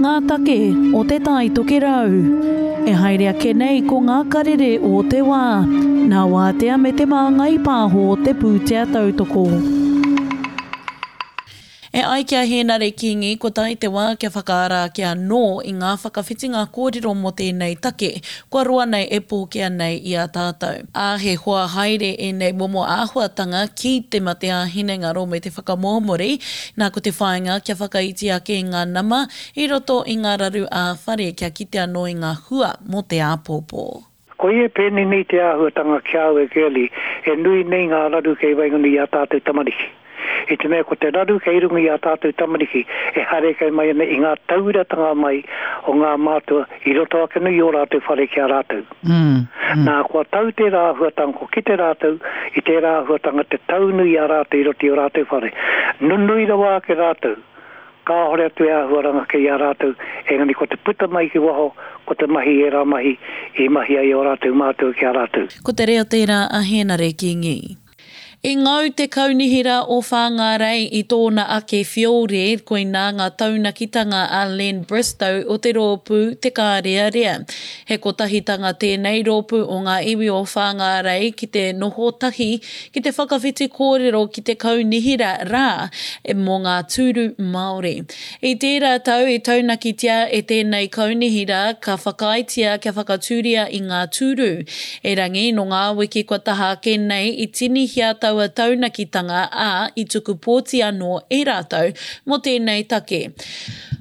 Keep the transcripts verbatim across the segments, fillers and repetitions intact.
ngā take o Te Tai Tokerau. E haere ake nei ko ngā karere o te wā, nā Wātea me Te Māngai Pāho te pūtea tautoko. E ai ki a Hēnare Kīngi, kua tae te wā kia whakaara ake anō i ngā whakawhitinga kōrero mō tēnei take, kua roa nei e pōkea nei i a tātou. Ā, he hoa haere ēnei momo āhuatanga ki te mate ā-hinengaro me te whakamōmori, nā ko te whāinga kia whakaiti ake i ngā nama i roto i ngā raru ā-whare kia kite anō i ngā hua mō te āpōpō. Koia e pēnei nei te āhuatanga ki a au e Girlie, e nui nei ngā raru kei waenganui i ā tātou tamariki. I te mea ko te raru kei runga i ā tātou tamariki e haere mai ana i ngā tauiratanga mai o ngā mātua i roto ake nei i ō rātou whare ki a rātou. Mm, mm. Nā, kua tau tērā āhuatanga, kua kite rātou i tērā āhuatanga te tau nui i a rātou i roto i ō rātou whare. Nunui rawa ake rātou, kāhore atu e āhuaranga kei a rātou, engari ko te puta mai ki waho, ko te mahi ērā mahi i mahi ai ō rātou mātua ki a rātou. Ko te reo tērā a Hēnare Kīngi. I ngau te kaunihera o Whāngārei i tōna ake whiore, koinā ngā taunakitanga a Len Bristow o te rōpū Te Kārearea. He kotahitanga tēnei rōpū o ngā iwi o Whāngārei ki te noho tahi, ki te whakawhiti kōrero ki te kaunihera rā mō ngā tūru Māori. I tērā tau i taunakitia e tēnei kaunihera ka whakaaetia kia whakatūria i ngā tūru. Erangi, nō ngā wiki kua taha ake nei i tinihia taua taunakitanga ā, i tuku pōti anō e rātou mō tēnei take.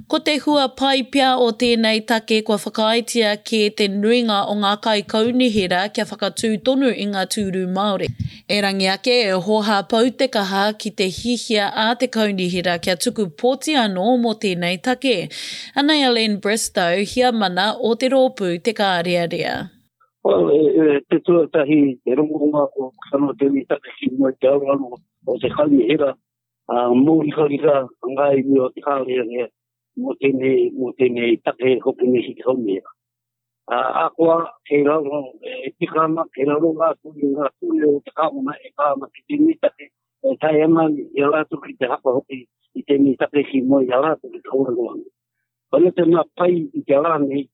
Ko te hua pai pea o tēnei take kua whakaaetia kē te nuinga o ngā kaikaunihera kia whakatū tonu i ngā tūru Māori. Erangi ake e hōhā pau te kaha ki te hihia a te kaunihera kia tuku pōti anō mō tēnei take. Anei a Len Bristow, heamana o te rōpū Te Kārearea. Well, e, e, te tuatahi, te rongonga o kano tēnei take ki mua i te aroaro o te kaunihera, a mōrikarika ngā iwi o te Kārearea mō tēnei, mō tēnei take hoki nei ki te kaunihera. A, akoa, kei raro, e tika ana, kei raro rātou i ngā ture o te kāwana e pā ana ki tēnei take, e tae ana i a rātou ki te hapa hoki i tēnei take ki mua i a rātou ki te kōrero ana. Koina te mea pai i te rā nei,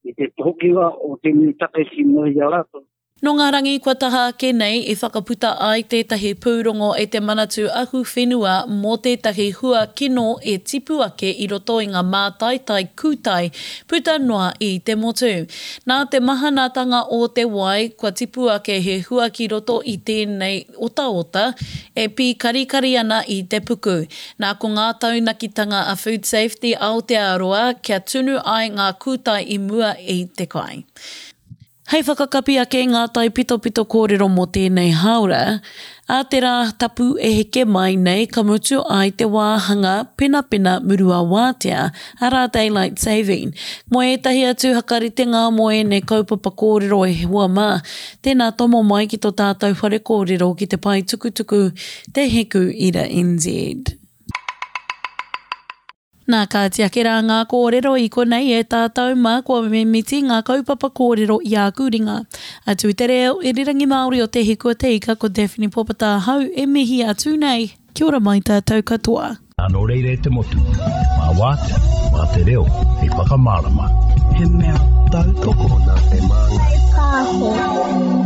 i te hokinga o tēnei take ki mua i a rātou. Nō ngā rangi kua taha ake nei i whakaputa ai tētahi pūrongo e te Manatū Ahuwhenua mō tētahi hua kino e tipu ake i roto i ngā mātaitai kūtai puta noa i te motu. Nā te mahanatanga o te wai kua tipu ake he hua ki roto i tēnei otaota e pīkarikari ana i te puku. Nā ko ngā taunakitanga a Food Safety Aotearoa kia tunu ai ngā kūtai i mua i te kai. Hei whakakapi ake ngā taipitopito kōrero mō tēnei hāora, a te rā tapu e heke mai nei ka mutu ai te wāhanga penapena murua wātea, arā Daylight Saving. Mō ētahi atu hakaritenga mō ēnei kaupapa kōrero e hoa mā, tēnā tomo mai ki tō tātou whare kōrero ki te pae tukutuku Te Hiku Ira N Z. Nā, kāti ake rā ngā kōrero i konei e tātou mā kua mimiti ngā kaupapa kōrero i āku ringa. Atu i te reo irirangi Māori o Te Hiku a Te Ika ko Daphne Popata ahau e mihi atu nei. Kia ora mai tātou katoa. Nō reira e te motu, mā wātea, mā te reo, hei whakamārama. He mea tautoko nā Te Māngai Pāho.